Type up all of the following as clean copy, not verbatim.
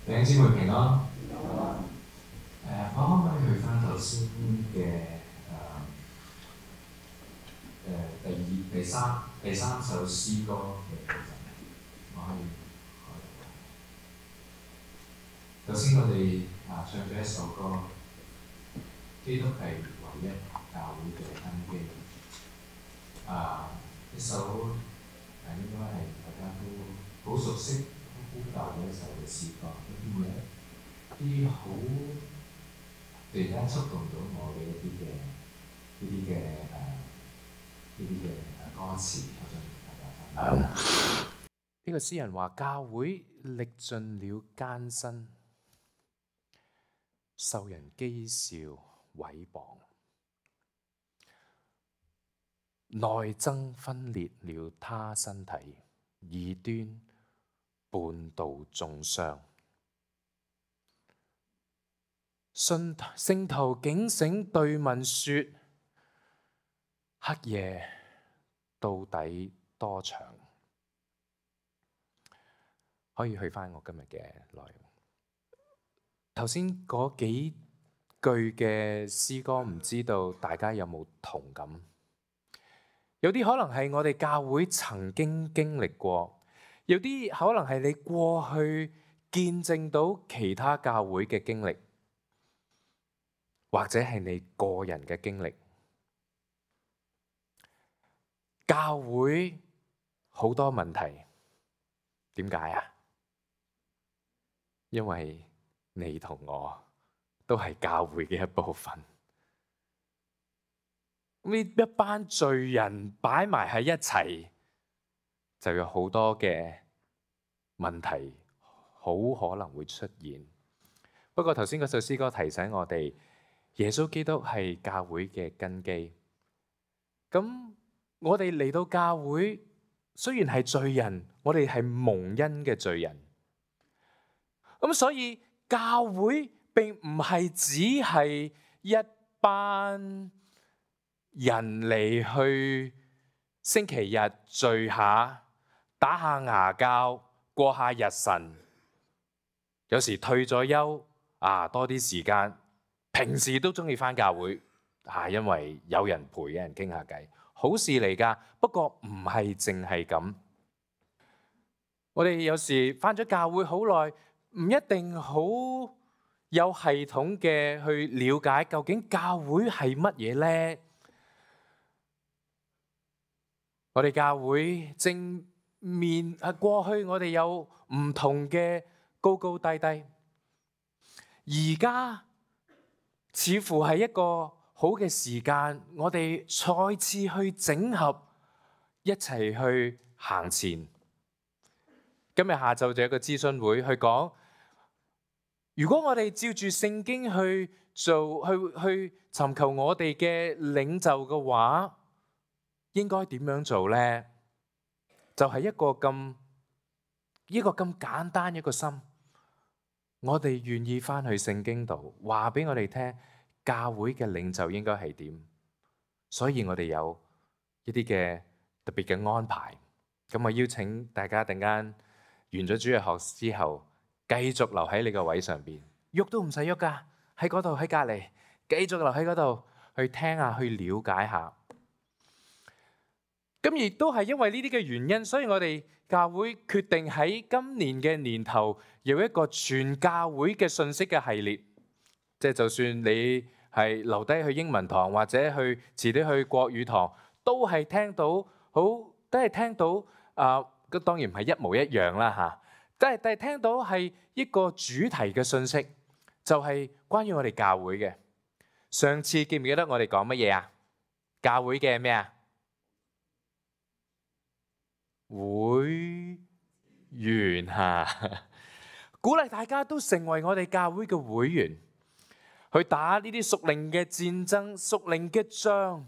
弟兄姊妹平安。我可唔可以去翻頭先嘅第三首詩歌嘅部分？我可以開。頭先我哋唱咗一首歌，基督係唯一教會嘅根基。一首應該係大家都好熟悉、好舊嘅一首嘅詩歌，會唔會一啲好突然間觸動到我嘅呢啲嘅歌詞，我想同大家分享。呢個詩人話：教會歷盡了艱辛，受人譏笑毀謗，內爭分裂了他身體，異端叛道中傷。聖徒警醒對問說：黑夜到底多長？可以去返我今日嘅內容。頭先嗰幾句嘅詩歌，唔知道大家有冇同感？有啲可能係我哋教會曾經經歷過，有啲可能係你過去見證到其他教會嘅經歷，或者係你個人嘅經歷。教會好多問題，點解啊？因為你同我都係教會嘅一部分。呢一班罪人擺埋喺一齊，就有好多嘅問題好可能會出現。不過頭先嗰首詩歌提醒我哋，耶穌基督係教會嘅根基。咁我哋嚟到教會，雖然係罪人，我哋係蒙恩嘅罪人。咁所以教會並唔係只係一班人嚟去星期日聚下，打下牙膠，過下日神。有時退咗休多啲時間，平時都中意返教會因為有人陪，有人傾下偈，好事嚟㗎。不過唔係淨係咁。我哋有時返咗教會好耐，唔一定好有系統嘅去了解究竟教會係乜嘢呢？我哋教會正面過去，我哋有唔同嘅高高低低。而家似乎係一個好嘅時間，我哋再次去整合，一齊去行前。今日下晝就有一個諮詢會去講，如果我哋照住聖經去做，去尋求我哋嘅領袖嘅話，應該點樣做呢？就係一個咁簡單一個心，我哋願意返去聖經度話俾我哋聽，教會嘅領袖應該係點。所以我哋有一啲嘅特別嘅安排。咁我邀請大家陣間完咗主日學之後，繼續留喺你個位上邊，喐都唔使喐噶，喺嗰度喺隔離，繼續留喺嗰度去聽下，去了解下。咁亦都係因為呢啲嘅原因，所以我哋教會決定喺今年嘅年頭有一個全教會嘅信息嘅系列。即係就算你係留低去英文堂，或者遲啲去國語堂，都係聽到當然唔係一模一樣啦嚇。但係聽到係一個主題嘅信息，就係關於我哋教會嘅。上次記唔記得我哋講乜嘢啊？教會嘅咩啊？會員鼓勵大家都成為我哋教會嘅會員，去打呢啲屬靈嘅戰爭、屬靈嘅仗。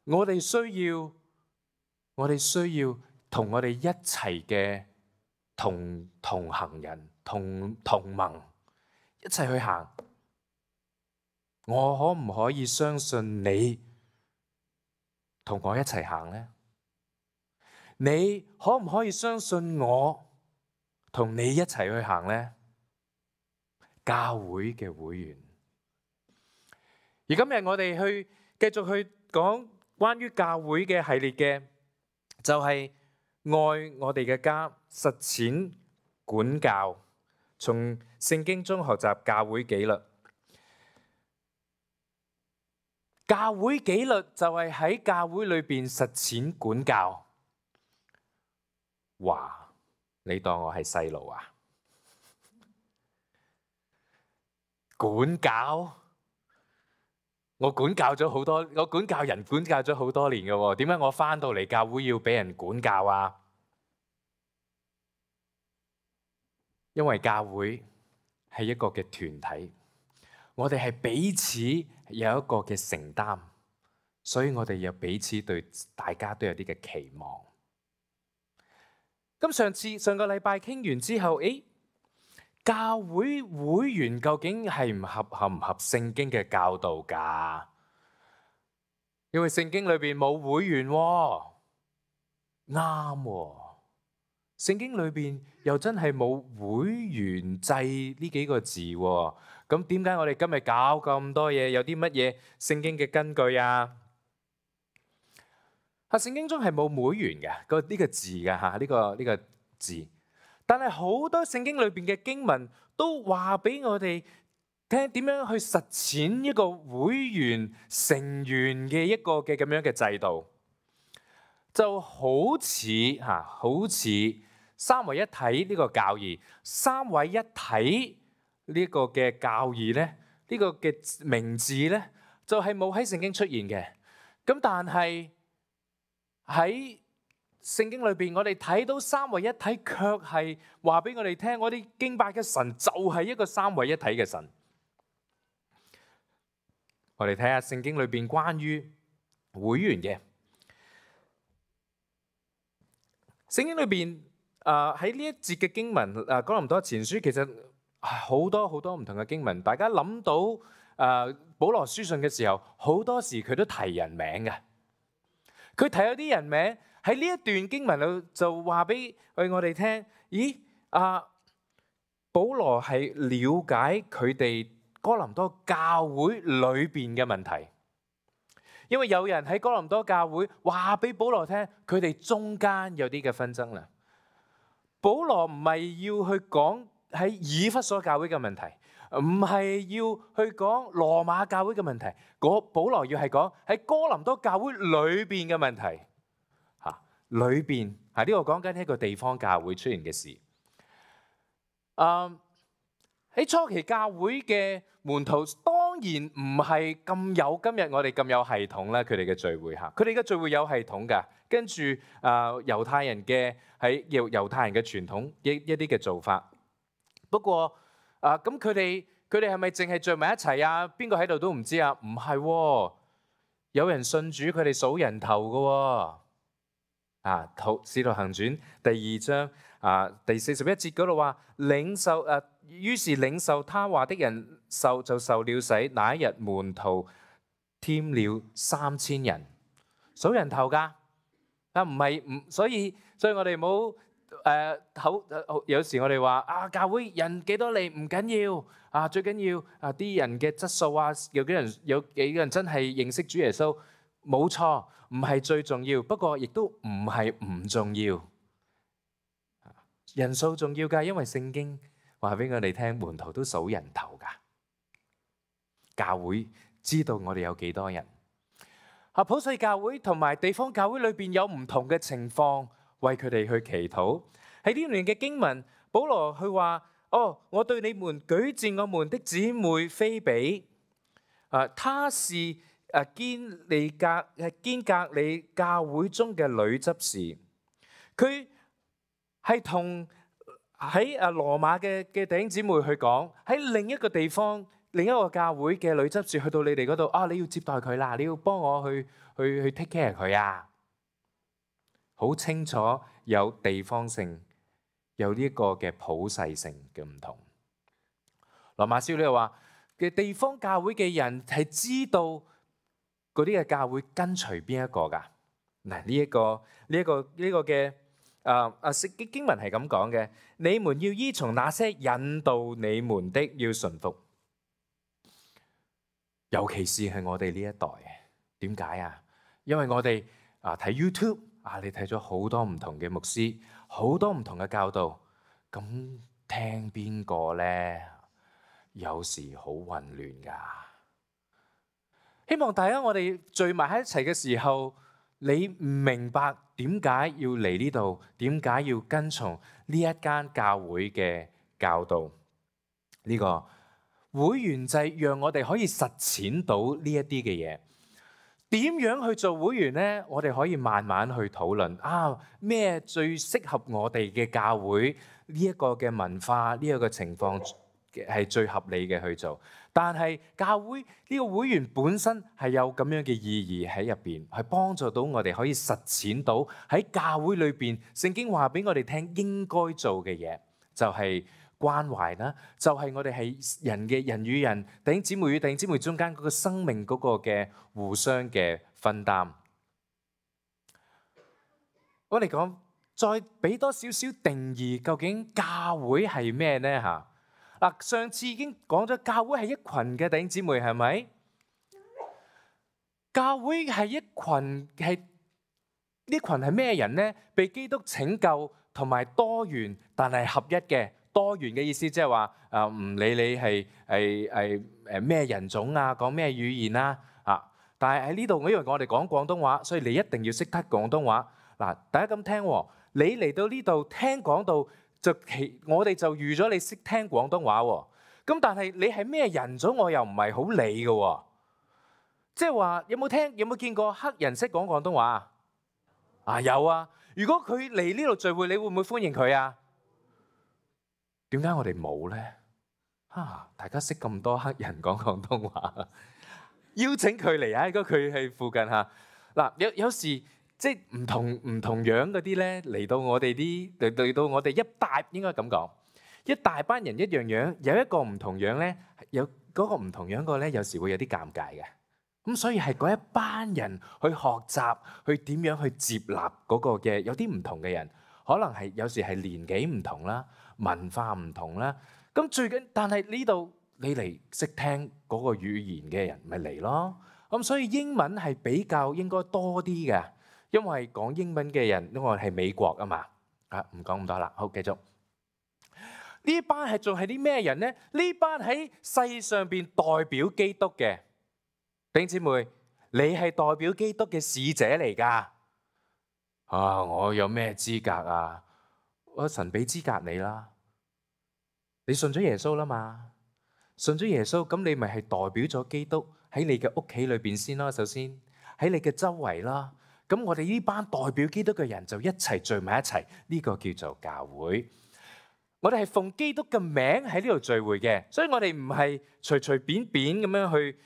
我哋需要同我哋一齊嘅同行人、同盟一齊去行。我可唔可以相信你同我一齊行呢？你可唔可以相信我同你一齊去行呢？教會嘅會員。而今日我哋繼續去講關於教會嘅系列嘅，就係愛我哋嘅家，實踐管教，從聖經中學習教會紀律。教會紀律就係喺教會裏邊實踐管教。哇！你當我係細路啊？管教？我管教咗好多，我管教人管教咗好多年嘅喎，點解我返到嚟教會要俾人管教啊？因為教會係一個嘅團體，我哋係彼此有一個嘅承擔，所以我哋有彼此對大家都有啲嘅期望。咁上個禮拜傾完之後，教會會員究竟合唔合聖經嘅教導㗎？因為聖經裏邊冇會員喎，啱喎。聖經裏邊又真係冇會員制呢幾個字喎。咁點解我哋今日搞咁多嘢？有啲乜嘢聖經嘅根據啊？聖經中係冇會員嘅呢個字㗎嚇，呢個字。但係好多聖經裏邊嘅經文都話俾我哋聽點樣去實踐一個會員成員嘅一個嘅咁樣嘅制度，就好似三位一體呢個教義，三位一體呢個嘅教義咧，呢個嘅名字咧就係冇喺聖經出現嘅。咁但係喺聖經裏邊，我哋睇到三位一體，卻係話俾我哋聽，我哋敬拜嘅神就係一個三位一體嘅神。我哋睇下聖經裏邊關於會員嘅。聖經裏邊喺呢一節嘅經文，哥林多前書其實好多唔同嘅經文。大家諗到保羅書信嘅時候，好多時佢都提人名嘅。佢提有啲人名。喺呢一段經文度就話俾我哋聽，保羅係了解佢哋哥林多教會裏邊嘅問題，因為有人喺哥林多教會話俾保羅聽，佢哋中間有啲嘅紛爭啦。保羅唔係要去講喺以弗所教會嘅問題，唔係要去講羅馬教會嘅問題，保羅要係講喺哥林多教會裏邊嘅問題。裏邊呢個講緊一個地方教會出現嘅事。喺初期教會嘅門徒當然唔係咁有今日我哋咁有系統啦，佢哋嘅聚會嚇，佢哋嘅聚會有系統㗎。跟住猶太人嘅猶太人嘅傳統一啲嘅做法。不過咁佢哋係咪淨係聚埋一齊啊？邊個喺度都唔知啊？唔係喎，有人信主，佢哋數人頭㗎喎。使徒行傳第2章第41節嗰度話，於是領受他話的人就受了洗，那一日門徒添了3000人，數人頭㗎。所以我哋冇有時我哋話教會人幾多嚟唔緊要，最緊要啲人嘅質素有幾個人真係認識主耶穌，冇錯。唔係最重要，不過亦都唔係唔重要。人數重要㗎，因為聖經話俾我哋聽，門徒都數人頭㗎。教會知道我哋有幾多人。普世教會同埋地方教會裏邊有唔同嘅情況，為佢哋去祈禱。喺呢段嘅經文，保羅佢話：我對你們舉薦我們的姊妹菲比，她是堅格里教會中嘅女執事，佢係同喺羅馬嘅弟兄姊妹去講，喺另一個地方、另一個教會嘅女執事去到你哋嗰度，你要接待佢啦，你要幫我去 take care 佢啊，好清楚有地方性，有呢一個嘅普世性嘅唔同。羅馬書呢度話嘅地方教會嘅人係知道嗰啲嘅教會跟隨邊一個㗎？嗱，呢一個嘅經文係咁講嘅，你們要依從那些引導你們的，要順服。尤其是係我哋呢一代，點解啊？因為我哋睇 YouTube 你睇咗好多唔同嘅牧師，好多唔同嘅教導，咁聽邊個呢？有時好混亂㗎。希望大家我哋聚埋喺一齊嘅時候，你唔明白點解要嚟呢度，點解要跟從呢一間教會嘅教導？呢個會員制讓我哋可以實踐到呢一啲嘅嘢。點樣去做會員呢？我哋可以慢慢去討論咩最適合我哋嘅教會呢一個嘅文化，呢一個情況係最合理嘅去做。但係教會呢個會員本身係有咁樣嘅意義喺入邊，係幫助到我哋可以實踐到喺教會裏邊聖經話俾我哋聽應該做嘅嘢，就係關懷啦，就係我哋係人與人、弟兄姊妹與弟兄姊妹中間嗰個生命嗰個嘅互相嘅分擔。我哋講再俾多少少定義，究竟教會係咩呢？嚇！上次已經講咗，教會係一群嘅弟兄姊妹，係咪？教會係一群，呢群係咩人呢？被基督拯救同埋多元，但係合一嘅。多元嘅意思即係話唔理你係咩人種啊，講咩語言啦但係喺呢度，因為我哋講廣東話，所以你一定要識得廣東話。大家咁聽喎，你嚟到呢度聽講道。我哋就預咗你識聽廣東話喎，咁但係你係咩人種，我又唔係好理嘅喎。即係話有冇見過黑人識講廣東話啊？有啊！如果佢嚟呢度聚會，你會唔會歡迎佢啊？點解我哋冇呢？大家識咁多黑人講廣東話，邀請佢嚟啊！如果佢喺附近有時。即係唔同樣嗰啲咧，嚟到我哋一大，應該咁講，一大班人一樣樣，有一個唔同樣咧，有嗰個唔同樣個咧，有時會有啲尷尬嘅。咁所以係嗰一班人去學習，去點樣去接納嗰個嘅有啲唔同嘅人，可能係有時係年紀唔同啦，文化唔同啦。咁但係呢度你嚟識聽嗰個語言嘅人，咪嚟咯。咁所以英文係比較應該多啲嘅。因為講英文嘅人，因為係美國啊嘛，唔講咁多啦。好，繼續。呢班仲係啲咩人呢？呢班喺世上邊代表基督嘅弟兄姊妹，你係代表基督嘅使者嚟㗎。我有咩資格啊？神俾資格你啦，你信咗耶穌啦嘛？信咗耶穌，咁你咪係代表咗基督喺你嘅屋企裏邊先咯。首先喺你嘅周圍啦。咁我哋呢班代表基督嘅人就一齊聚埋一齊，呢個叫做教會。我哋係奉基督嘅名喺呢度聚會嘅，所以我哋唔係隨便咁樣去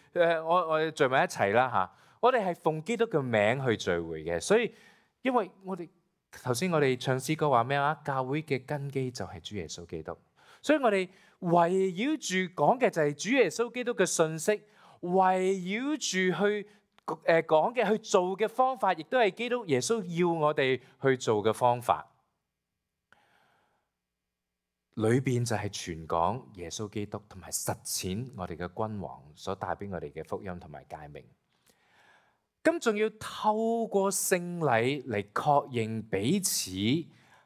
我哋聚埋一齊啦嚇。我哋係奉基督嘅名去聚會嘅，所以因為我哋頭先我哋唱詩歌話咩啊？教會嘅根基就係主耶穌基督，所以我哋圍繞住講嘅就係主耶穌基督嘅信息，圍繞住去講嘅去做嘅方法，亦都係基督耶穌要我哋去做嘅方法。裏邊就係傳講耶穌基督，同埋實踐我哋嘅君王所帶俾我哋嘅福音同埋誡命。咁仲要透過聖禮嚟確認彼此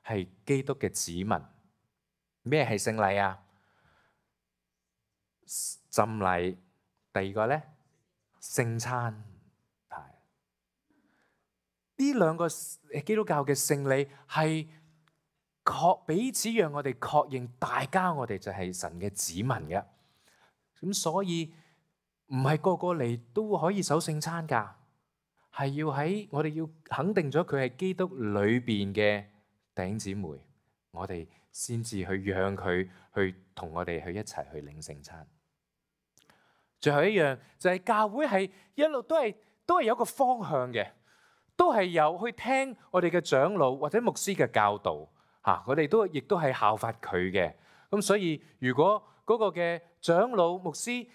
係基督嘅子民。咩係聖禮啊？浸禮。第二個呢，聖餐。呢兩個基督教嘅聖禮係彼此讓我哋確認大家我哋就係神嘅子民嘅。咁所以唔係個個嚟都可以守聖餐㗎，係要我哋要肯定咗佢係基督裏邊嘅弟兄姊妹，我哋先至去讓佢去同我哋去一齊去領聖餐。最後一樣就係教會係一路都係有個方向嘅。都係有去聽我哋嘅長老或者牧師嘅教導，我哋亦都係效法佢嘅。咁所以如果嗰個嘅長老牧師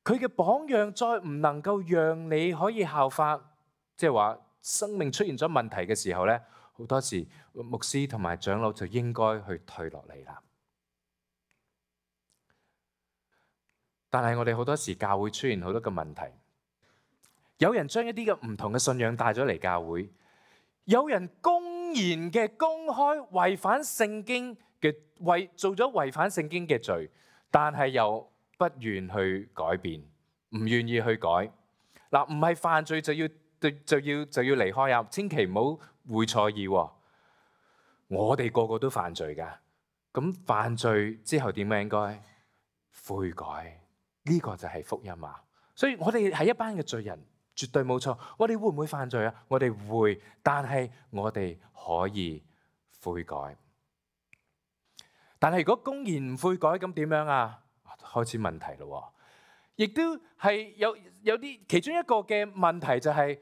佢嘅榜樣再唔能夠讓你可以效法，即係話生命出現咗問題嘅時候呢，好多時牧師同埋長老就應該去退落嚟啦。但係我哋好多時教會出現好多嘅問題，有人將一啲嘅唔同嘅信仰帶咗嚟教會，有人公然嘅公開違反聖經嘅做咗違反聖經嘅罪，但係又不願去改變，唔願意去改。嗱，唔係犯罪就要離開啊！千祈唔好會錯意喎。我哋個個都犯罪㗎，咁犯罪之後點樣應該悔改？呢個就係福音啊！所以我哋係一班嘅罪人，絕對冇錯。我哋會唔會犯罪啊？我哋會，但係我哋可以悔改。但係如果公然唔悔改，咁點樣啊？開始問題咯。亦都係有啲其中一個嘅問題就係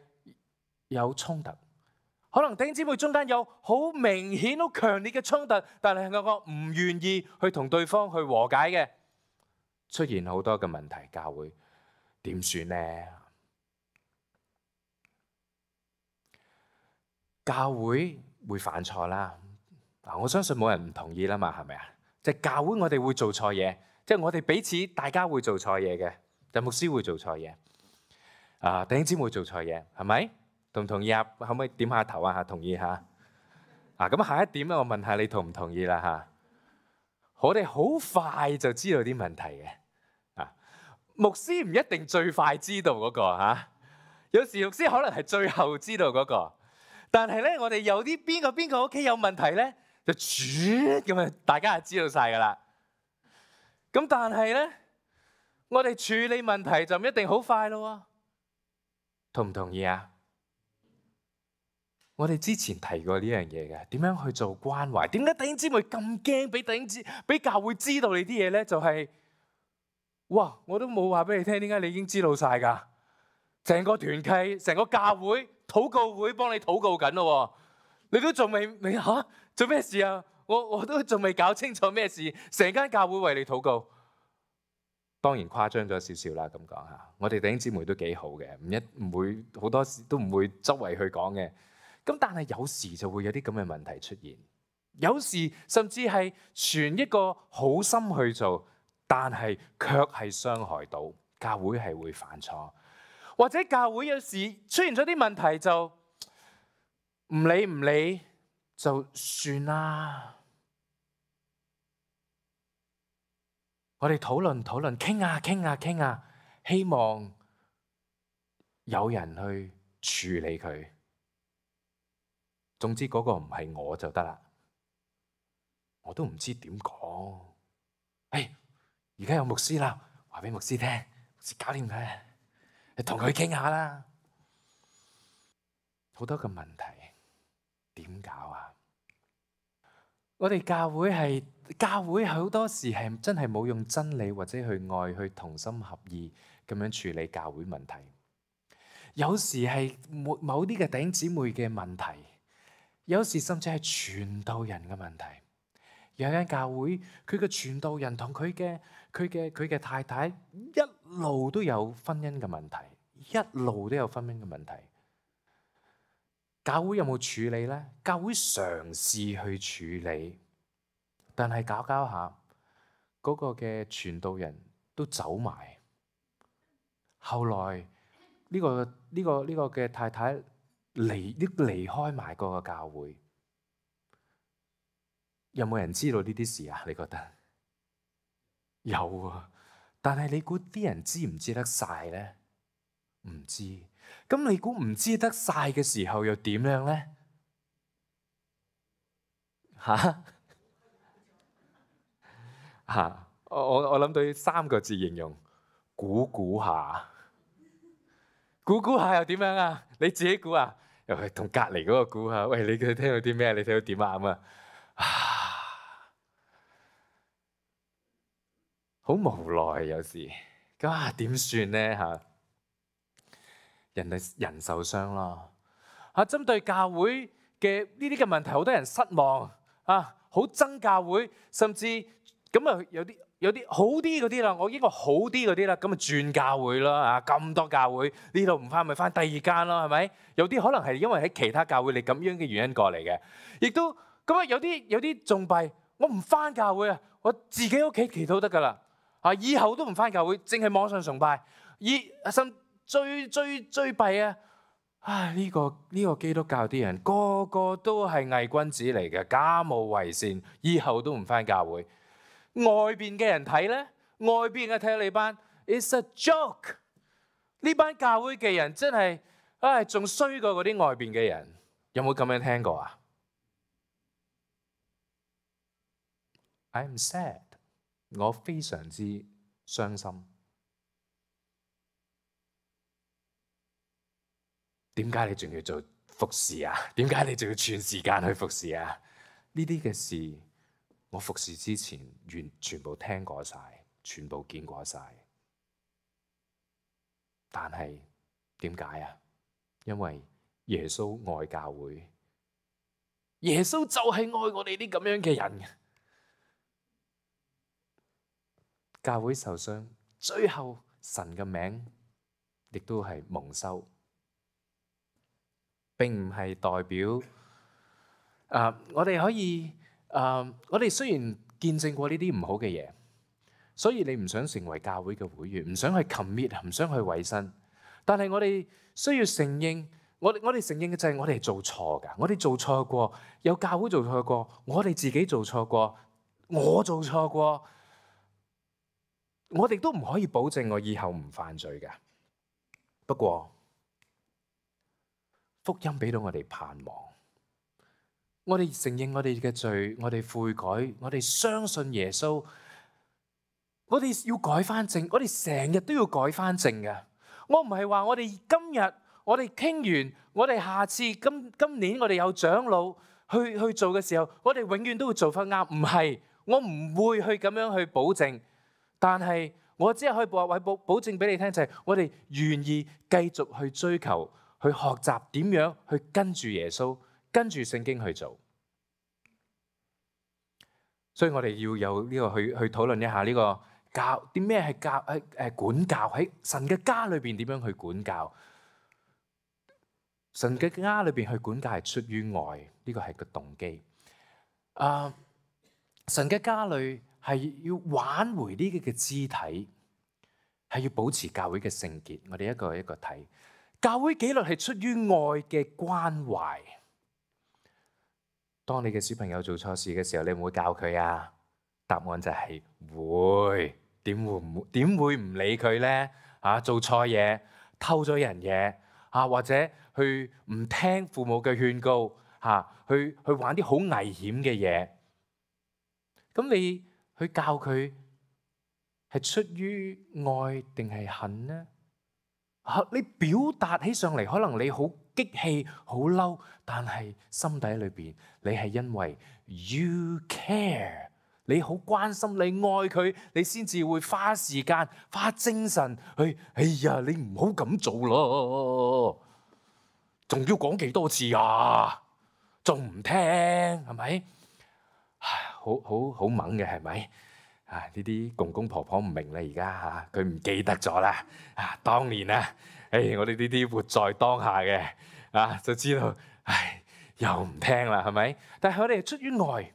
有衝突。可能弟兄姊妹中間有好明顯、好強烈嘅衝突，但係我唔願意去同對方去和解嘅。出現好多嘅問題，教會點算呢？教會會犯錯啦，我相信冇人唔同意啦嘛，係咪啊？即係教會我哋會做錯嘢，即係我哋彼此大家會做錯嘢嘅，就牧師會做錯嘢，弟兄姊妹做錯嘢，係咪？同唔同意啊？可唔可以點下頭啊？同意下。咁下一點咧，我問下你同唔同意啦嚇？我哋好快就知道啲問題嘅。牧師唔一定最快知道嗰個嚇，有時牧師可能係最後知道嗰個。但係咧，我哋有啲邊個屋企有問題咧，就咁啊，大家就知道晒㗎啦。咁但係咧，我哋處理問題就唔一定好快咯。同唔同意啊？我哋之前提過呢樣嘢嘅，點樣去做關懷？點解弟兄姊妹咁驚俾教會知道你啲嘢咧？就係哇！我都冇話俾你聽，點解你已經知道晒㗎？成個團契、成個教會、禱告會幫你禱告緊咯，你都仲未嚇做咩事啊？我都仲未搞清楚咩事，成間教會為你禱告。當然誇張咗少少啦，咁講嚇。我哋弟兄姊妹都幾好嘅，唔會好多時都唔會周圍去講嘅。咁但係有時就會有啲咁嘅問題出現，有時甚至係存一個好心去做，但係卻係傷害到教會，係會犯錯，或者教會有時出現咗啲問題就唔理就算啦。我哋討論傾下，希望有人去處理佢。總之嗰個唔係我就得啦，我都唔知點講。而家有牧師啦，話俾牧師聽，牧師搞掂佢，你同佢傾下啦。好多個問題點搞啊？我哋教會好多時係真係冇用真理或者去愛去同心合意咁樣處理教會問題。有時係某啲嘅弟兄姊妹嘅問題，有時甚至係傳道人嘅問題。有間教會，佢嘅傳道人同佢嘅太太一路都有婚姻嘅問題，一路都有婚姻嘅問題。教會有冇處理呢？教會嘗試去處理，但係搞下，嗰個嘅傳道人都走埋。後來呢個嘅太太離開埋嗰個教會。有冇人知道呢啲事啊？你覺得有啊？但係你估啲人知唔知得晒呢？唔知。咁你估唔知得晒嘅時候又點樣呢？我諗到3個字形容：估下。估下又點樣啊？你自己估啊？又係同隔離嗰個估下。喂，你聽到啲咩？你睇到點啊？咁好無奈有時。咁點算呢？人受傷咯。針對教會嘅呢啲嘅問題，好多人失望好憎教會，甚至咁有啲好啲嗰啲啦，我應該好啲嗰啲啦，咁咪轉教會咯啊！咁多教會呢度唔翻，咪翻第二間咯，係咪？有啲可能係因為喺其他教會你咁樣嘅原因過嚟嘅，亦都咁啊！有啲仲弊，我唔翻教會啊，我自己屋企祈禱得噶啦啊！以後都唔翻教會，淨係網上崇拜。甚最弊啊！唉，呢個基督教啲人個個都係偽君子嚟嘅，假冒為善，以後都唔翻教會。外邊嘅人睇咧，外邊嘅睇你班 ，it's a joke。呢班教會嘅人真係，唉，仲衰過嗰啲外邊嘅人。有冇咁樣聽過啊 ？I'm sad， 我非常之傷心。點解你仲要做服侍啊？點解你仲要全時間去服侍啊？呢啲嘅事，我服侍之前全部聽過晒，全部見過晒。但係點解啊？因為耶穌愛教會，耶穌就係愛我哋啲咁樣嘅人。教會受傷，最後神嘅名亦都係蒙羞。並唔係代表我哋可以我哋雖然見證過呢啲唔好嘅嘢，所以你唔想成為教會嘅會員，唔想去 commit， 唔想去委身。但係我哋需要承認，我哋承認嘅就係我哋係做錯㗎，我哋做錯過，有教會做錯過，我哋自己做錯過，我做錯過，我哋都唔可以保證我以後唔犯罪㗎。不過，福音俾到我哋盼望，我哋承認我哋嘅罪，我哋悔改，我哋相信耶穌，我哋要改翻正，我哋成日都要改翻正嘅。我唔係話我哋今日我哋傾完，我哋下次今年我哋有長老去做嘅時候，我哋永遠都會做翻啱。唔係，我唔會去咁樣去保證，但係我只係可以保證俾你聽，就係我哋願意繼續去追求。去學習點樣去跟住耶穌，跟住聖經去做。所以我哋要有呢個去討論一下呢個教啲咩係管教，喺神嘅家裏邊點樣去管教。神嘅家裏邊去管教係出於愛，呢個係個動機。神嘅家裏係要挽回呢個嘅肢體，係要保持教會嘅聖潔。我哋一個一個睇。教會紀律係出於愛嘅關懷。當你嘅小朋友做錯事嘅時候，你會唔會教佢啊？答案就係會。點會唔理佢咧？做錯嘢，偷咗人嘢，或者去唔聽父母嘅勸告，去玩啲好危險嘅嘢。咁你去教佢係出於愛定係恨呢？你表達起上嚟，可能你好激氣、好嬲，但係心底裏邊你係因為 you care， 你好關心，你愛佢，你先至會花時間、花精神去。哎呀，你唔好咁做咯，仲要講幾多次啊？仲唔聽係咪？好猛嘅係咪？呢啲公公婆婆唔明啦，而家佢唔記得咗啦。當年啊，我哋呢啲活在當下嘅就知道，又唔聽啦，係咪？但係我哋係出於愛，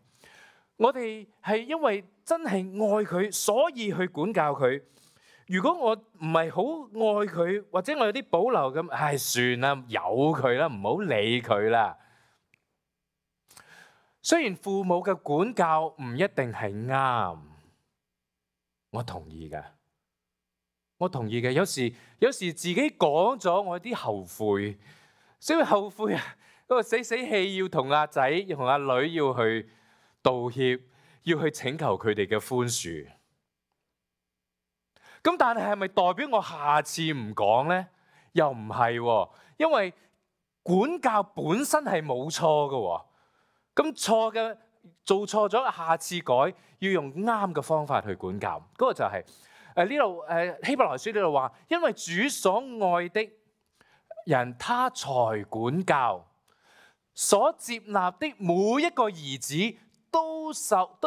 我哋係因為真係愛佢，所以去管教佢。如果我唔係好愛佢，或者我有啲保留咁，算啦，由佢啦，唔好理佢啦。雖然父母嘅管教唔一定係啱。我同意嘅，有時自己講咗，我有啲後悔，所以後悔啊！嗰個死氣要同阿仔、同阿女要去道歉，要去請求佢哋嘅寬恕。咁但係咪代表我下次唔講咧？又唔係喎，因為管教本身係冇錯嘅。咁錯嘅做錯咗，下次改。要用啱嘅方法去管教，嗰個就係呢度希伯來書呢度話，因為主所愛的人，他才管教；所接納的每一個兒子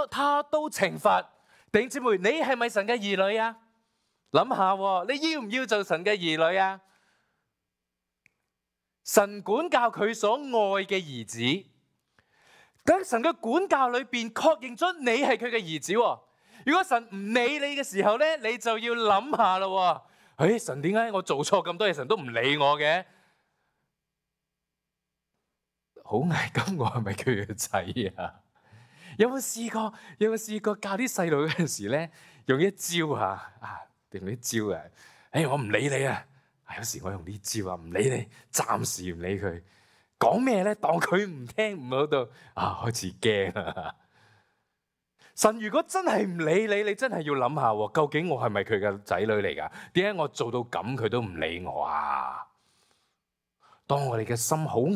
他都懲罰。弟兄姊妹，你係咪神嘅兒女啊？諗下喎，你要唔要做神嘅兒女啊？神管教佢所愛嘅兒子，咁神嘅管教裏邊確認咗你係佢嘅兒子喎。如果神唔理你嘅時候咧，你就要諗下咯。神點解我做錯咁多嘢，神都唔理我嘅？好危急，我係咪佢嘅仔啊？有冇試過教啲細路嗰陣時咧，用一招用啲招啊？我唔理你啊！有時我用呢招啊，唔理你，暫時唔理佢，講咩咧？當佢唔聽唔到到開始驚啊！神如果真係唔理你，你真係要諗下，究竟我係咪佢嘅仔女嚟噶？點解我做到咁佢都唔理我啊？當我哋嘅心好硬，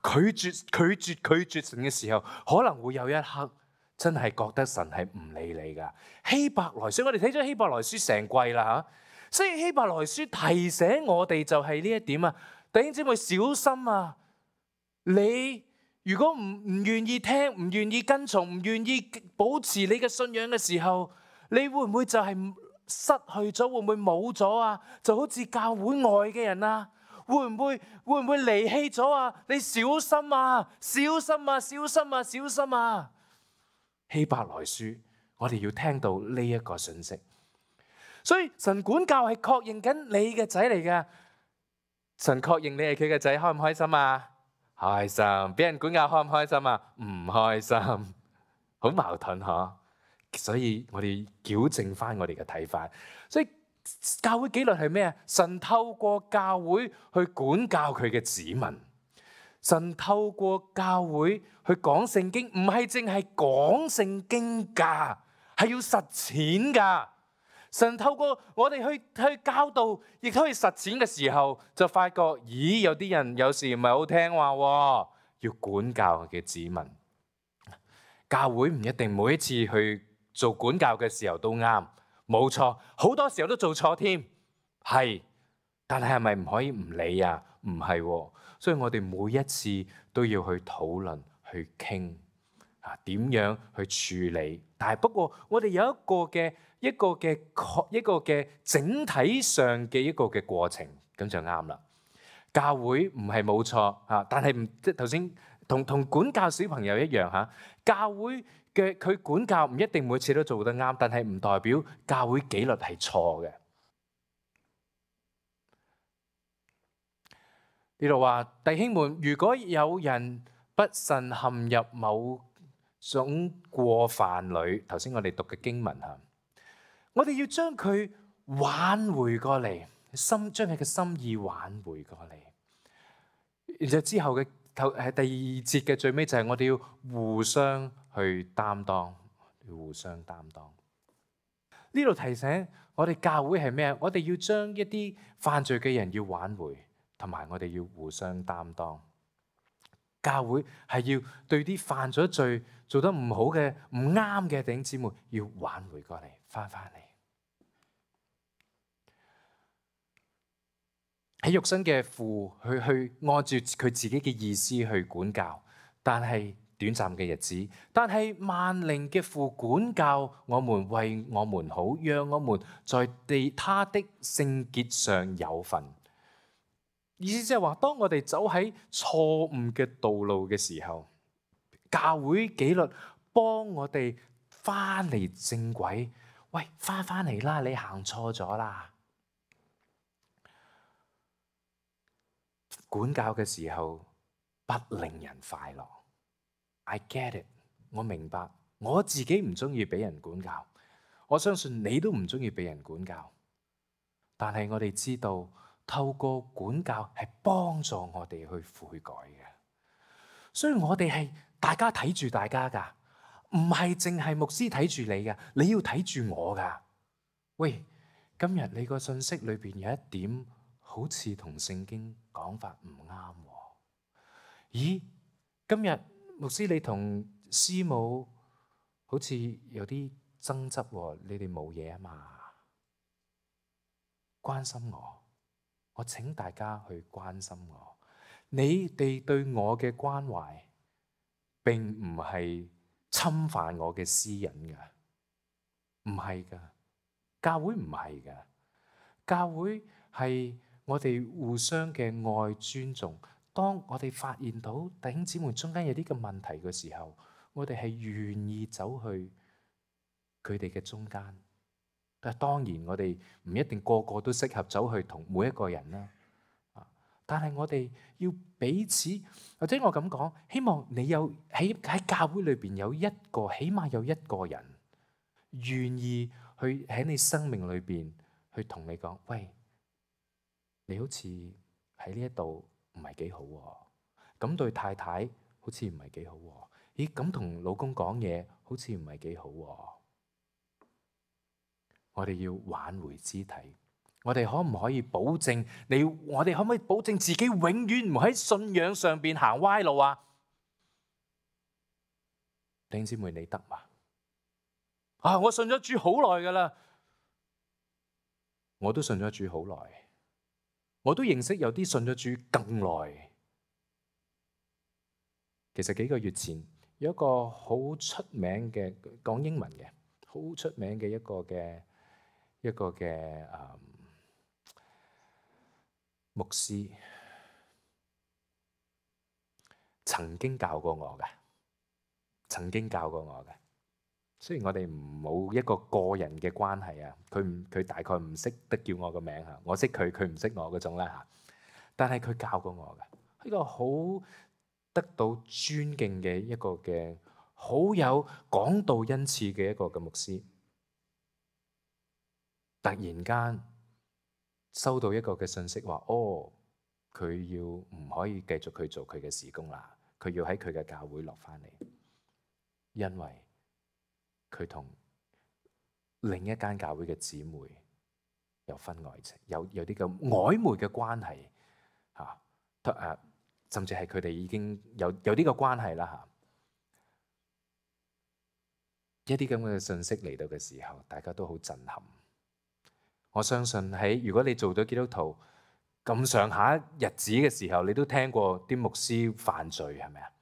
拒絕神嘅時候，可能會有一刻真係覺得神係唔理你噶。希伯來書，我哋睇咗希伯來書成季啦吓，所以希伯來書提醒我哋就係呢一點啊，弟兄姊妹小心啊！你如果唔願意聽，唔願意跟從，唔願意保持你嘅信仰嘅時候，你會唔會就係失去咗？會唔會冇咗啊？就好似教會外嘅人啊，會唔會離棄咗啊？你小心啊！小心啊！小心啊！小心啊！希伯來書，我哋要聽到呢一個信息。所以神管教係確認緊你嘅仔嚟㗎。神確認你係佢嘅仔，開唔開心啊？開心。俾人管教開唔開心啊？唔開心，好矛盾嗬。所以我哋矯正翻我哋嘅睇法。所以教會紀律係咩啊？神透過教會去管教佢嘅子民。神透過教會去講聖經，唔係淨係講聖經噶，係要實踐噶。神透過我哋去教導，亦都去實踐嘅時候，就發覺，咦，有啲人有時唔係好聽話喎，要管教佢嘅子民。教會唔一定每一次去做管教嘅時候都啱，冇錯，好多時候都做錯添，係。但係咪唔可以唔理啊？唔係喎，所以我哋每一次都要去討論、去傾點樣去處理。但係不過我哋有一個嘅整體上嘅一個嘅過程，咁就啱啦。教會唔係冇錯但係唔即係頭先同管教小朋友一樣教會嘅佢管教唔一定每次都做得啱，但係唔代表教會紀律係錯嘅。呢度話，弟兄們，如果有人不慎陷入某種過犯裏，頭先我哋讀嘅經文我哋要將佢挽回過嚟，將佢嘅心意挽回過嚟。然後之後嘅第二節嘅最尾就係我哋要互相去擔當，互相擔當。呢度提醒我哋教會係咩？我哋要將一啲犯罪嘅人要挽回。同埋我哋要互相擔當，教會係要對啲犯咗罪、做得唔好嘅、唔啱嘅弟兄姊妹，要挽回過嚟，翻嚟。喺肉身嘅父去按照佢自己嘅意思去管教，但係短暫嘅日子。但係萬靈嘅父管教我們，為我們好，讓我們在他的聖潔上有份。意思即係話，當我哋走喺錯誤嘅道路嘅時候，教會紀律幫我哋翻嚟正軌。喂，翻嚟啦！你行錯咗啦。管教嘅時候不令人快樂。I get it， 我明白。我自己唔中意俾人管教，我相信你都唔中意俾人管教。但係我哋知道，透過管教係幫助我哋去悔改嘅，所以我哋係大家睇住大家噶，唔係淨係牧師睇住你噶，你要睇住我噶。喂，今日你個信息裏邊有一點好似同聖經講法唔啱喎。咦，今日牧師你同師母好似有啲爭執喎，你哋冇嘢啊嘛？關心我請大家去關心我。你哋對我嘅關懷並唔係侵犯我嘅私隱㗎。唔係㗎，教會唔係㗎，教會係我哋互相嘅愛尊重。當我哋發現到弟兄姊妹中間有啲嘅問題嘅時候，我哋係願意走去佢哋嘅中間。但係當然我哋唔一定個個都適合走去同每一個人啦。但係我哋要彼此，或者我咁講，希望你有喺教會裏邊有一個，起碼有一個人願意去喺你生命裏邊去同你講，喂，你好似喺呢一度唔係幾好喎，咁對太太好似唔係幾好喎，咦，咁同老公講嘢好似唔係幾好喎。我哋要挽回肢體。我哋可唔可以保證我哋可唔可以保證自己永遠唔喺信仰上邊行歪路啊？弟兄姊妹，你得嘛？我信咗主好耐㗎喇，我都信咗主好耐，我都認識有啲信咗主更耐。其實幾個月前有一個好出名嘅講英文嘅好出名嘅一個嘅牧師曾經教過我嘅，雖然我哋冇一個個人嘅關係啊，佢大概唔識得叫我個名嚇，我識佢，佢唔識我嗰種啦嚇。但係佢教過我嘅，呢個好得到尊敬嘅一個嘅好有講道恩賜嘅一個嘅牧師，突然間收到一個嘅信息話，佢要唔可以繼續去做佢嘅事工啦，佢要喺佢嘅教會落翻嚟，因為佢同另一間教會嘅姊妹有婚外情，有啲咁曖昧嘅關係嚇，甚至係佢哋已經有啲個關係啦嚇。一啲咁嘅信息嚟到嘅時候，大家都好震撼。我相信如果你做咗基督徒咁上下日子嘅時候，你都聽過啲牧師犯罪，係咪啊？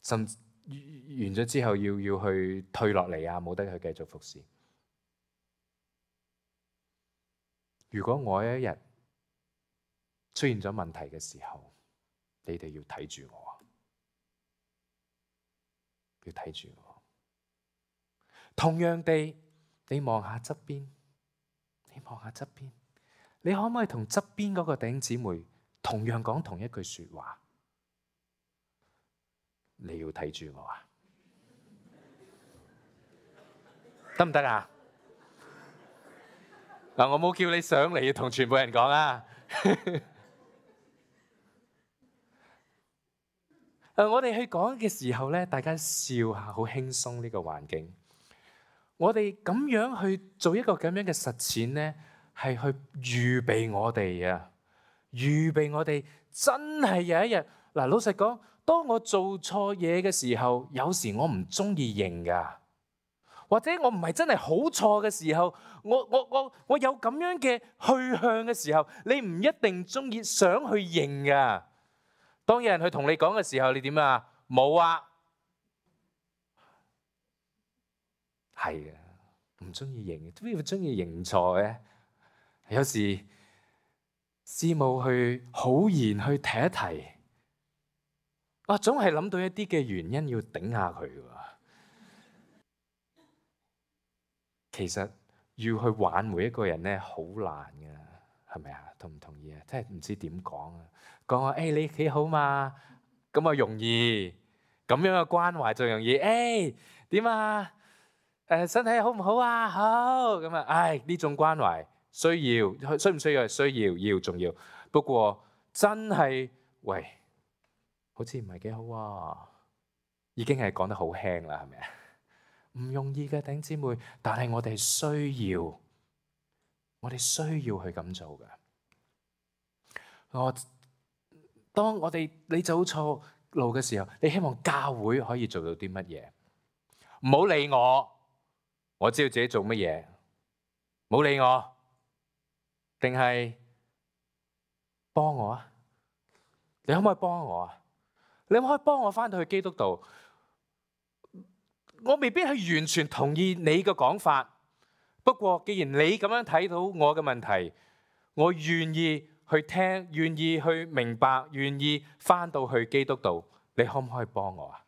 甚至完咗之後要去退落嚟啊，冇得去繼續服侍。如果我一日出現咗問題嘅時候，你哋要睇住我，要睇住我。同樣地，你望下側邊，你可唔可以同側邊嗰個弟兄姊妹同樣講同一句說話？你要睇住我啊，得唔得啊？嗱，我冇叫你上嚟要同全部人講啊。我哋去講嘅時候咧，大家笑下，好輕鬆呢個環境。我哋咁樣去做一個咁樣嘅實踐咧，係去預備我哋啊，預備我哋真係有一日。嗱，老實講，當我做錯嘢嘅時候，有時我唔中意認噶，或者我唔係真係好錯嘅時候，我有咁樣嘅去向嘅時候，你唔一定中意想去認噶。當有人去同你講嘅時候，你點啊？冇啊，係啊，唔中意認，點解會中意認錯嘅？有時師母去好言去提一提，我總係諗到一啲嘅原因要頂下佢㗎。其實要去挽回一個人咧，好難㗎，係咪啊？同唔同意啊？真係唔知點講啊！講話你幾好嘛？咁啊容易，咁樣嘅關懷就容易。點啊？身體好唔好啊？好咁啊！呢種關懷需唔需要？需要重要。不過真係喂，好似唔係幾好喎，已經係講得好輕啦，係咪啊？唔容易嘅弟兄姊妹，但係我哋需要去咁做嘅。當你走錯路嘅時候，你希望教會可以做到啲乜嘢？唔好理我知道自己做乜嘢，唔好理我，定係幫我啊？你可唔可以幫我啊？你可唔可以幫我返到去基督度？我未必係完全同意你嘅講法。不過，既然你咁樣睇到我嘅問題，我願意去聽，願意去明白，願意返到去基督度。你可唔可以幫我啊？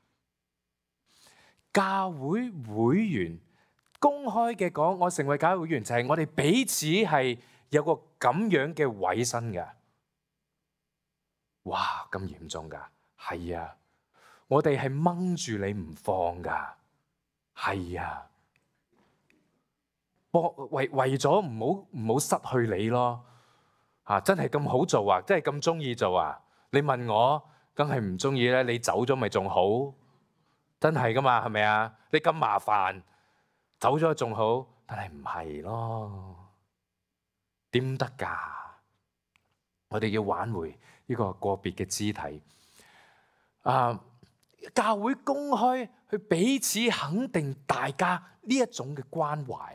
教會會員公開嘅講，我成為教會會員就係我哋彼此係有個咁樣嘅委身㗎。哇，咁嚴重㗎？係啊，我哋係掹住你唔放㗎。係啊。為咗唔好失去你咯，真係咁好做啊，真係咁中意做啊？你問我，梗係唔中意咧。你走咗咪仲好？真係噶嘛，係咪啊？你咁麻煩，走咗仲好，但係唔係咯？點得㗎？我哋要挽回呢個個別嘅肢體。教會公開去彼此肯定大家呢一種嘅關懷。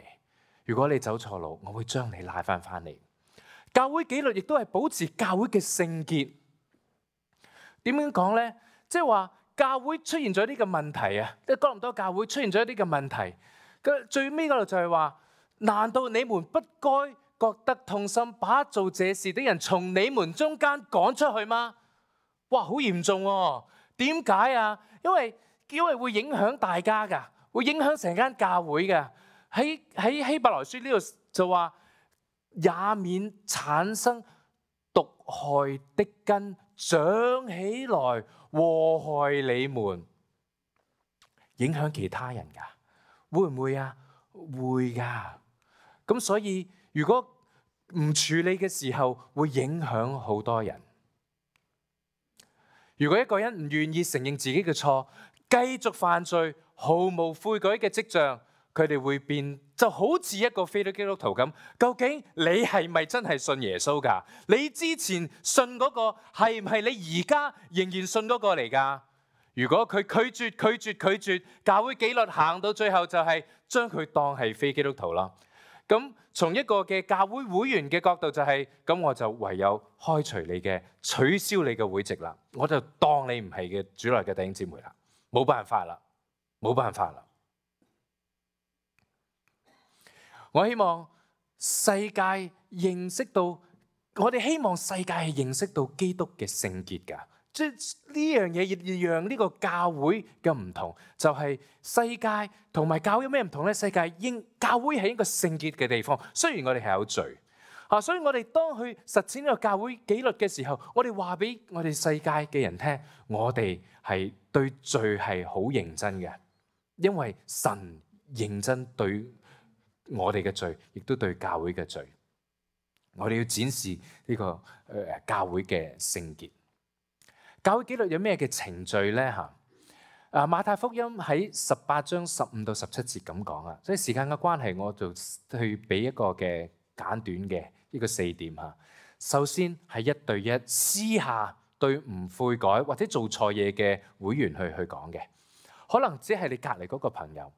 如果你走錯路，我會將你拉返嚟。教會紀律亦都係保持教會嘅聖潔。點樣講呢？即係話教會出現咗呢個問題啊！即係哥林多教會出現咗呢個問題。最尾嗰度就係話：難道你們不該覺得痛心，把做這事的人從你們中間趕出去嗎？哇！好嚴重喎！點解啊？因為會影響大家㗎，會影響成間教會㗎。喺希伯來書呢度就話，也免產生毒害的根長起來禍害你們，影響其他人㗎，會唔會啊？會㗎。咁所以如果唔處理嘅時候，會影響好多人。如果一個人唔願意承認自己嘅錯，繼續犯罪，毫無悔改嘅跡象，佢哋會變就好似一個非基督徒咁。究竟你係咪真係信耶穌㗎？你之前信嗰個係唔係你而家仍然信嗰個嚟㗎？如果佢拒絕，教會紀律行到最後就係將佢當係非基督徒啦。咁從一個嘅教會會員嘅角度就係，咁我就唯有開除你嘅，取消你嘅會籍啦。我就當你唔係嘅主內嘅弟兄姊妹啦，冇辦法啦。我希望世界認識到，我哋希望世界係認識到基督嘅聖潔㗎。即係呢樣嘢要讓呢個教會嘅唔同，就係世界同埋教會有咩唔同呢？世界教會係一個聖潔嘅地方，雖然我哋係有罪所以我哋當去實踐呢個教會紀律嘅時候，我哋話俾我哋世界嘅人聽，我哋係對罪係好認真嘅，因為神認真對我哋嘅罪，亦都對教會嘅罪。我哋要展示呢個教會嘅聖潔。教會紀律有咩嘅程序呢？馬太福音喺18章15到17節咁講啊。所以時間嘅關係，我就去俾一個嘅簡短嘅呢個4點嚇。首先係1對1私下對唔悔改或者做錯嘢嘅會員去講嘅，可能只係你隔離嗰個朋友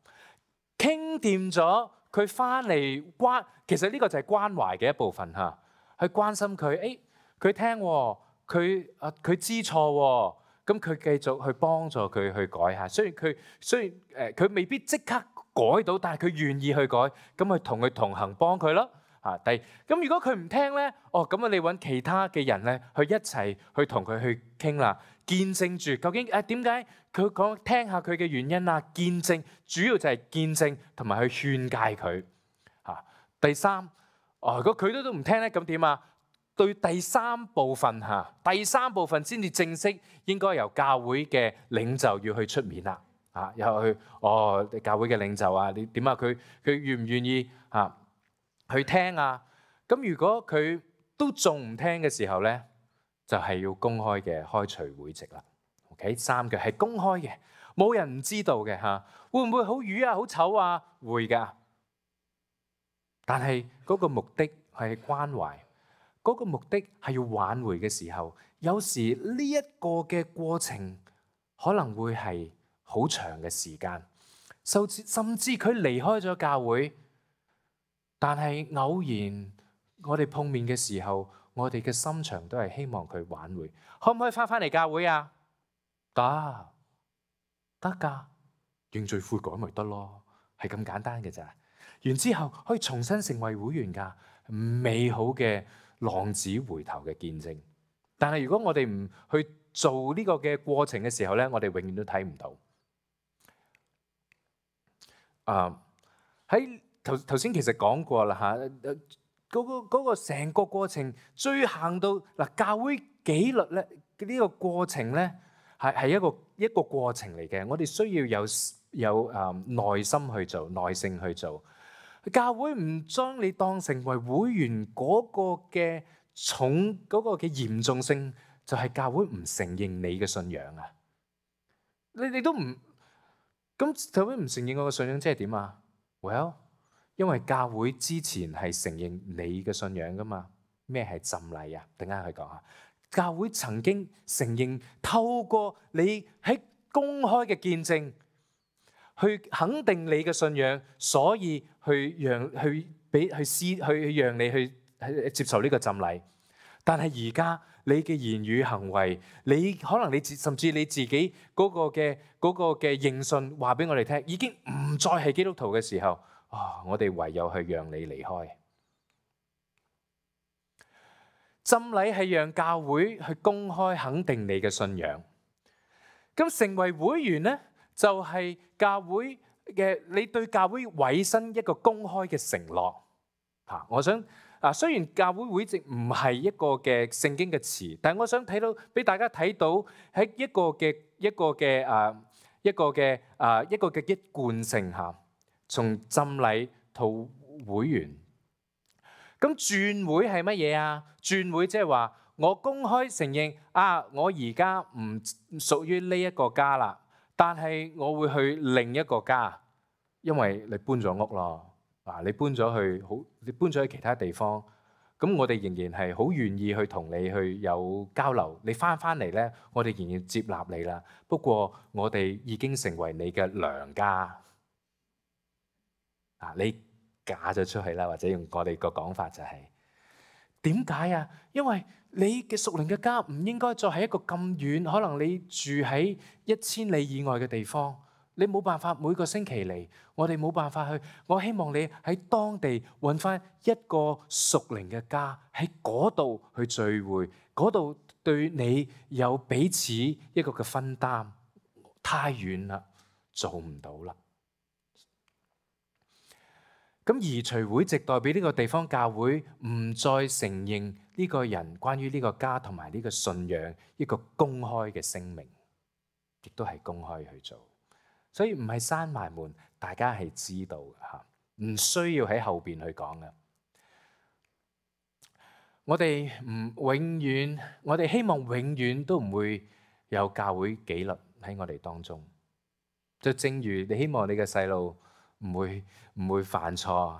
傾掂咗，佢翻嚟其實呢個就係關懷嘅一部分嚇，去關心佢，佢聽喎。佢知錯喎，咁佢繼續去幫助佢去改下。雖然佢未必即刻改到，但係佢願意去改，咁去同佢同行幫佢咯。咁如果佢唔聽咧，咁你揾其他嘅人咧，去一齊去同佢去傾啦，見證住究竟點解佢講，聽下佢嘅原因啊，見證主要就係見證同埋去勸誡佢。第三，如果佢都唔聽咧，咁點啊？對第三部分先至正式應該由教會嘅領袖要去出面啦，又去教會嘅領袖啊，你點啊？佢願唔願意去聽啊？咁如果佢都仲唔聽嘅時候咧，就係要公開嘅開除會籍啦。OK， 3個係公開嘅，冇人唔知道嘅嚇。會唔會好瘀啊？好醜啊？會㗎，但係嗰個目的係關懷。嗰個目的係要挽回嘅時候，有時呢一個嘅過程可能會係好長嘅時間，甚至佢離開咗教會，但係偶然我哋碰面嘅時候，我哋嘅心腸都係希望佢挽回。可唔可以翻嚟教會啊？得㗎，認罪悔改咪得咯，係咁簡單嘅咋。完之後可以重新成為會員㗎，美好嘅浪子回頭嘅見證。但係如果我哋唔去做呢個嘅過程嘅時候咧，我哋永遠都睇唔到。喺頭先其實講過啦嚇，嗰個成個過程追行到嗱，教會紀律咧呢個過程咧係一個過程嚟嘅。我哋需要有耐心去做，耐性去做。教會唔將你當成為會員嗰個嘅重嗰個嘅嚴重性，就係教會唔承認你嘅信仰啊！你都唔咁，教會唔承認我嘅信仰，即係點啊？Well，因為教會之前係承認你嘅信仰噶嘛。咩係浸禮啊？等間去講下。教會曾經承認透過你喺公開嘅見證去肯定你嘅信仰，所以去讓你去接受呢個浸禮。但係而家你嘅言語行為，你可能甚至你自己嗰個嘅認信話俾我哋聽，已經唔再係基督徒嘅時候，我哋唯有去讓你離開。浸禮係讓教會去公開肯定你嘅信仰。咁成為會員呢，就係教會嘅你對教會委身一個公開嘅承諾。我想雖然教會會籍唔係一個嘅聖經嘅詞，但係我想俾大家睇到喺一個嘅一貫性嚇，從浸禮到會員。咁轉會係乜嘢啊？轉會即係話我公開承認我而家唔屬於呢一個家啦，但係我會去另一個家，因為你搬咗屋咯。你搬咗去其他地方，咁我哋仍然係好願意去同你去有交流。你翻嚟咧，我哋仍然接納你啦。不過我哋已經成為你嘅娘家。你嫁咗出去啦，或者用我哋個講法就係點解啊？因為你嘅屬靈嘅家唔應該再係一個咁遠，可能你住喺1000里以外嘅地方。你冇辦法每個星期嚟，我哋冇辦法去。我希望你喺當地揾翻一個屬靈嘅家，喺嗰度去聚會，嗰度對你有彼此一個嘅分擔。太遠啦，做唔到啦。咁移除會籍代表呢個地方教會唔再承認呢個人關於呢個家同埋呢個信仰一個公開嘅聲明，亦都係公開去做。所以唔係閂埋門，大家係知道嘅嚇，唔需要喺後邊去講嘅。我哋希望永遠都唔會有教會紀律喺我哋當中。就正如你希望你嘅細路唔會犯錯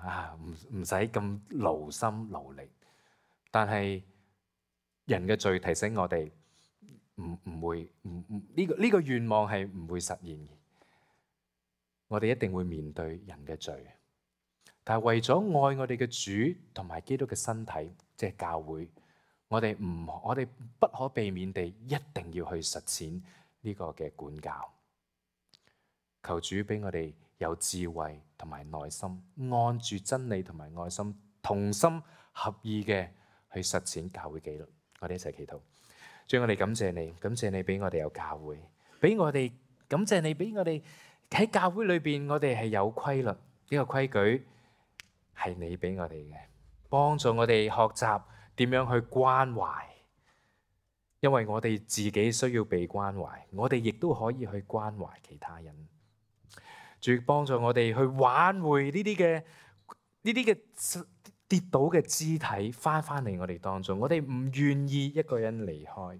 唔使咁勞心勞力，但係人嘅罪提醒我哋呢個願望係唔會實現嘅。我哋一定會面對人嘅罪，但係為咗愛我哋嘅主同埋基督嘅身體，即係教會，我哋不可避免地一定要去實踐呢個嘅管教。求主俾我哋有智慧同埋耐心，按住真理同埋愛心，同心合意嘅去實踐教會紀律。我哋一齊祈禱。主，我哋感謝你俾我哋有教會，感謝你俾我哋喺教會裏邊，我哋係有規律，呢個規矩係你俾我哋嘅，幫助我哋學習點樣去關懷，因為我哋自己需要被關懷，我哋亦都可以去關懷其他人。主，幫助我哋去挽回呢啲嘅跌倒嘅肢體翻嚟我哋當中，我哋唔願意一個人離開。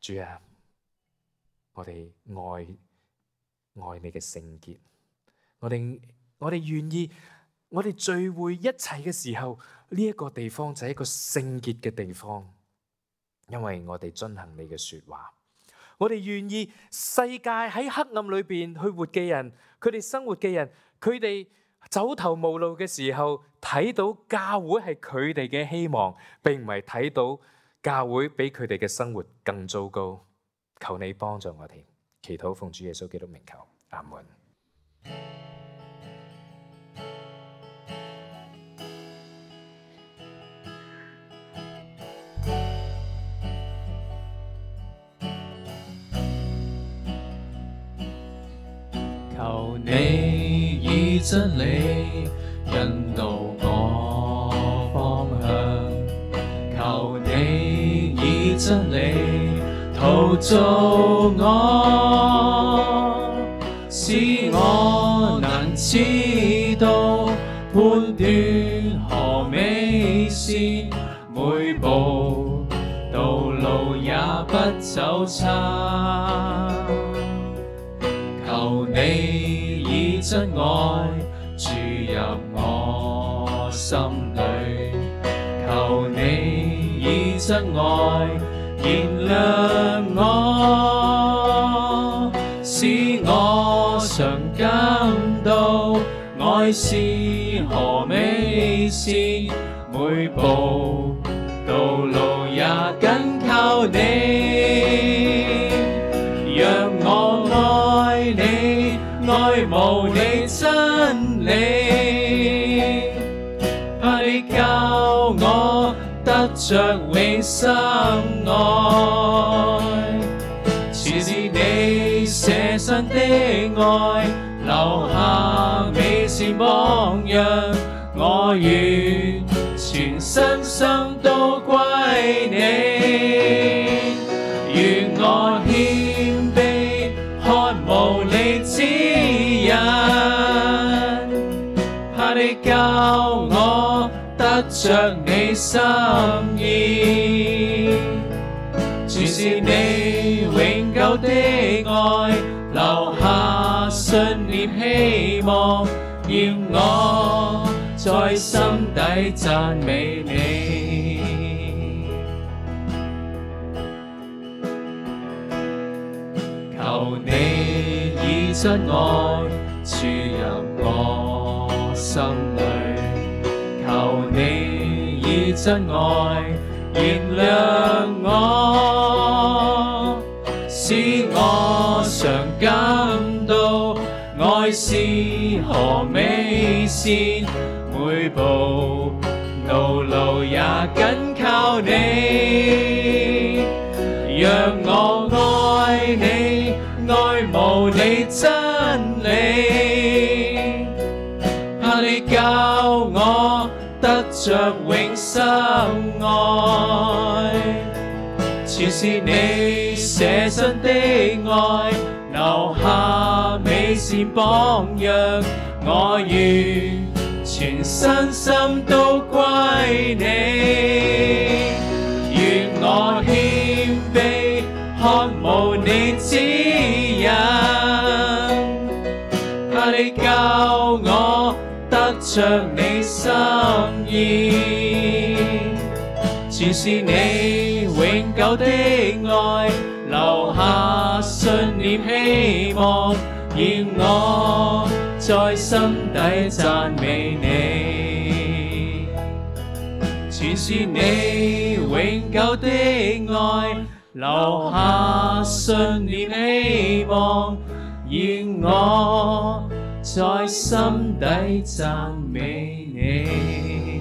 主啊，我哋愛你嘅聖潔，我哋願意，我哋聚會一齊嘅時候，呢一個地方就係一個聖潔嘅地方，因為我哋遵行你嘅說話。我哋願意世界喺黑暗裏邊去活嘅人，佢哋生活嘅人，佢哋走投無路嘅時候，睇到教會係佢哋嘅希望，並唔係睇到教會比佢哋嘅生活更糟糕。求你幫助我哋。祈禱奉主耶穌基督名求。阿門。求你以真理引導我方向，求你以真理陶造我，使我能知道判斷何美善，每步道路也不走差。求你以真愛注入我心裏，求你以真愛燃亮我，使我常感到愛是何美善，每步道路也緊靠你，讓我愛你，愛慕你真理，怕你教我得着永生愛，似是你捨身的愛，留下美善榜樣，我願全身心都歸你，願我謙卑渴慕你指引，怕你教我得着你心意，全是你永久的愛，留下信念希望，要我在心底讚美你。求你以真愛注入我心裏，求你以真愛燃亮我，使我常感到愛是何美善，每步道路也緊靠你，讓我愛你，愛慕你真理，怕你教我得着永生愛，全是你捨身的愛，留下美善榜樣，我願全身心都歸你，願我謙卑渴慕你指引，怕你教我得着你心意，全是你永久的愛，留下信念希望，要我在心底讚美你，全是你永久的愛，留下信念希望，要我在心底讚美你。